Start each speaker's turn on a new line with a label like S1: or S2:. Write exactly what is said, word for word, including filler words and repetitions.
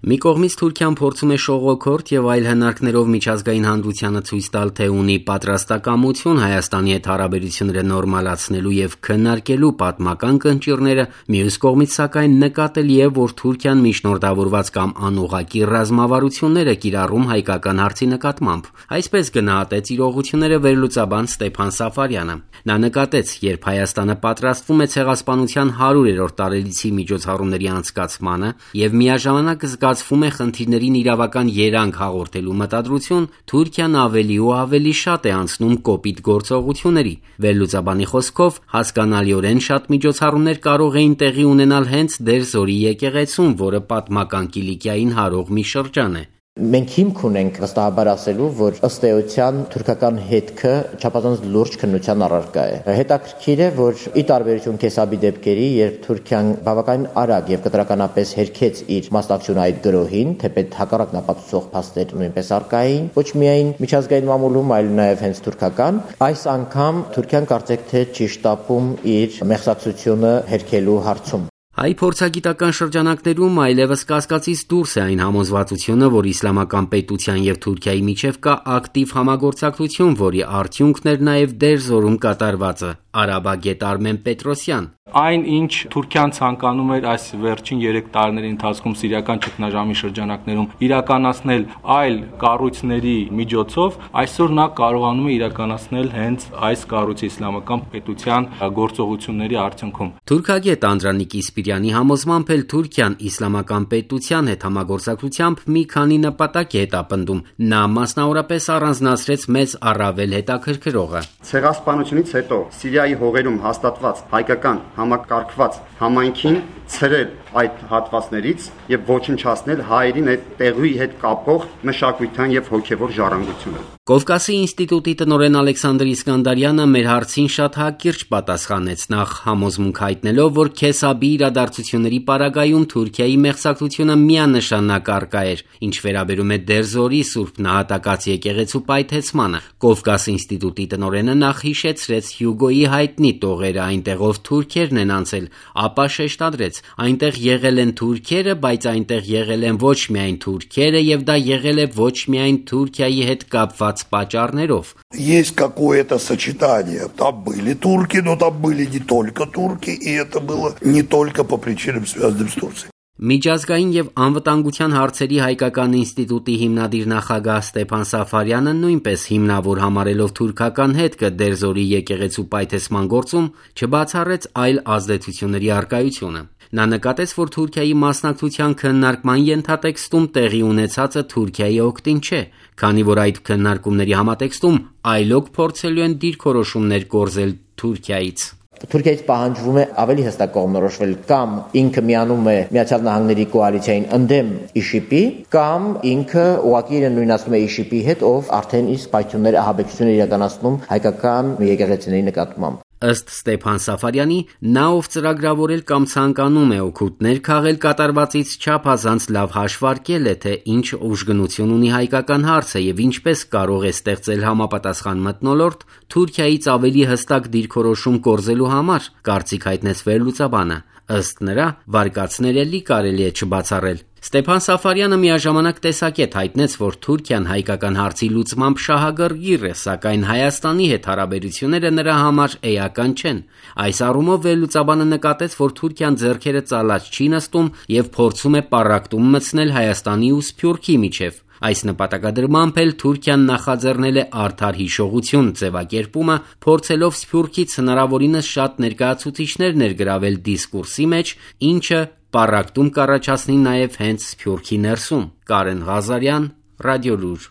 S1: Մի կողմից Թուրքիան փորձում է շողոքորթ եւ այլ հնարքներով միջազգային հանրությանը ցույց տալ, թե ունի պատրաստակամություն Հայաստանի հետ հարաբերությունները նորմալացնելու եւ քննարկելու պատմական կնճիռները, մյուս կողմից սակայն նկատելի է, որ Թուրքիան միջնորդավորված կամ անուղղակի ռազմավարություններ է կիրառում հայկական հարցի նկատմամբ։ Այսպես գնահատեց իրողությունները վերլուծաբան Ստեփան Սաֆարյանը։ Նա նկատեց, երբ Հայաստանը պատրաստվում է ցեղասպանության հարյուրերորդ տարելիցի միջոցառումների անցկացմանը եւ միաժամանակ զգացվում է խնդիրներին իրավական երանգ հաղորդելու մտադրություն, Թուրքիան ավելի ու ավելի շատ է անցնում կոպիտ գործողությունների։ Վերլուծաբանի խոսքով, հասկանալիորեն շատ միջոցառումներ կարող էին տեղի ունենալ հենց Դերձորի եկեղեցում, որը պատմական Կիլիկիային հարող մի շրջան է։
S2: Մենք հիմք ունենք վստահաբար ասելու, որ ըստ էության թուրքական հետքը չափազանց լուրջ քննության առարկա է։ Հետաքրքիր է, որ ի տարբերություն Քեսաբի դեպքերի, երբ Թուրքիան բավականին արագ եւ կտրականապես հերքեց իր մասնակցությունը այդ գրոհին, թեպետ հակառակն ապացուցող փաստեր նույնպես առկա էին, ոչ միայն միջազգային մամուլում, այլ նաեւ հենց թուրքական, այս անգամ Թուրքիան կարծեք թե չի շտապում իր մեղսակցությունը հերքելու հարցում։
S1: Հայ փորձագիտական շրջանակներում այլևս կասկածից դուրս է այն համոզվածությունը, որ իսլամական պետության եւ Թուրքիայի միջև կա ակտիվ համագործակցություն, որի արդյունքն էր նաեւ Դերձորում կատարվածը։ Արաբագետ Արմեն Պետրոսյան։
S3: Այն, ինչ Թուրքիան ցանկանում էր այս վերջին երեք տարիների ընթացքում սիրիական ճգնաժամի շրջանակներում իրականացնել այլ կառույցների միջոցով, այսօր նա կարողանում է իրականացնել հենց այս կառույցի իսլամական պետության գործողությունների արդյունքում։
S1: Թուրքագետ Անդրանիկ Իսպիրյանի համոզմամբ էլ Թուրքիան իսլամական պետության հետ համագործակցությամբ մի քանի նպատակ է հետապնդում։ Նա մասնավորապես առանձնացրեց մեզ առավել հետաքրքրողը։
S4: Ցեղասպանությունից հետո Սիրիայի հողերում հաստատված հայկական համակարգված համայնքին ցրել այդ հատվածներից եւ ոչնչացնել հայերին այդ տեղի հետ կապող մշակութային եւ հոգեվոր ժառանգությունը։
S1: Կովկասի ինստիտուտի տնօրեն Ալեքսանդր Իսկանդարյանը մեր հարցին շատ հակիրճ պատասխանեց, նախ համոզմունք հայտնելով, որ Քեսաբի իրադարձությունների պարագայում Թուրքիայի մեղսակցությունը միանշանակ առկա էր, ինչ վերաբերում է Դերձորի Սուրբ Նահատակած եկեղեցու պայթեցմանը։ Կովկաս ինստիտուտի տնօրենը նախ հիշեցրեց Հյուգոյի հայտնի տողերը, այնտեղով թուրքերն են անցել, ապա շեշտադրեց, այնտեղ եղել են թուրքերը, բայց այնտեղ եղել են ոչ միայն թուրքերը եւ դա եղել է ոչ միայն Թուրքիայի հետ կապված պատճառներով։
S5: Есть какое-то сочетание. Там были турки, но там были не только турки, и это было не только по причинам, связанным с Турцией.
S1: Միջազգային եւ անվտանգության հարցերի հայկական ինստիտուտի հիմնադիր նախագահ Ստեփան Սաֆարյանը նույնպես հիմնավոր համարելով թուրքական հետքը Դերձորի եկեղեցու պայթեցման գործում չբացառեց այլ ազդեցությունների առկայությունը։ Նա նկատեց, որ Թուրքիայի մասնակցության քննարկման ենթատեքստում տեղի ունեցածը Թուրքիայի օգտին չէ, քանի որ այդ քննարկումների համատեքստում այլոք փորձելու են դիրքորոշումներ կորզել Թուրքիայից։
S2: Թուրքիայից պահանջվում է ավելի հստակ կողմնորոշվել կամ ինքը միանում է Միացյալ Նահանգների կոալիցիային ընդդեմ ԻՇԻՊ-ի, կամ ինքը ուղղակի իրեն նույնացնում է ԻՇԻՊ-ի հետ, ով արդեն իսկ պայթյուններ ահաբեկչություններ իրականացնում հայկական եկեղեցիների նկատմամբ։
S1: Ըստ Ստեփան Սաֆարյանի, նա ով ծրագրավորել կամ ցանկանում է օգուտներ քաղել կատարվածից չափազանց լավ հաշվարկել է, թե ինչ ուժգնություն ունի հայկական հարցը եւ ինչպես կարող է ստեղծել համապատասխան մթնոլորտ Թուրքիայից ավելի հստակ դիրքորոշում կորզելու համար, կարծիք հայտնեց վերլուծաբանը։ Ըստ նրա, վարկածներ էլի կարելի է չբացառել։ Ստեփան Սաֆարյանը միաժամանակ տեսակետ հայտնեց, որ Թուրքիան հայկական հարցի լուծմամբ շահագրգիռ է, սակայն Հայաստանի հետ հարաբերությունները նրա համար էական չեն։ Այս առումով վերլուծաբանը նկատեց, որ Թուրքիան ձեռքերը ծալած չի նստում եւ փորձում է պառակտում մտցնել Հայաստանի ու Սփյուռքի միջև։ Այս նպատակադրմամբ էլ Թուրքիան նախաձեռնել է արդար հիշողություն ձևակերպումը, փորձելով Սփյուռքից հնարավորինս շատ ներկայացուցիչներ ներգրավել դիսկուրսի մեջ, ինչը պառակտում կառաջացնի նաև հենց Սփյուռքի ներսում։ Կարեն Ղազարյան, Ռադիոլուր։